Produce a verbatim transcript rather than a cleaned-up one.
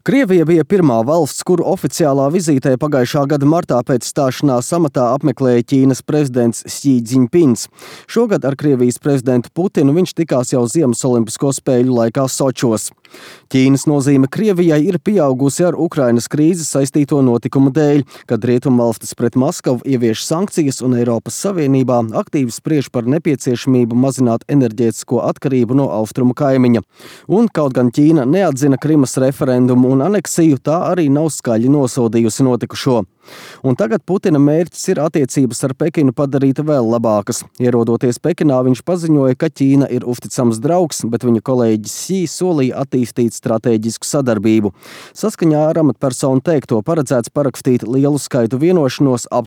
Krievija bija pirmā valsts, kuru oficiālā vizītē pagājušā gada martā pēc stāšanās amatā apmeklēja Ķīnas prezidents Xi Jinpings. Šogad ar Krievijas prezidentu Putinu viņš tikās jau Ziemas olimpisko spēļu laikā Sočos. Ķīnas nozīme Krievijai ir pieaugusi ar Ukrainas krīzes saistīto notikumu dēļ, kad rietumvalstis pret Maskavu ievieš sankcijas un Eiropas Savienībā aktīvi spriež par nepieciešamību mazināt enerģētisko atkarību no austrumu kaimiņa. Un kaut gan Ķīna neatzina Krimas referendumu un aneksiju, tā arī nav skaļi nosodījusi notikušo. Un tagad Putina mērķis ir attiecības ar Pekinu padarīt vēl labākas. Ierodoties Pekinā, viņš paziņoja, ka Ķīna ir uzticams draugs, bet viņa kolēģis Xi solīja attīstīt stratēģisku sadarbību. Saskaņā ar amatpersonu teikto paredzēts parakstīt lielu skaitu vienošanos ap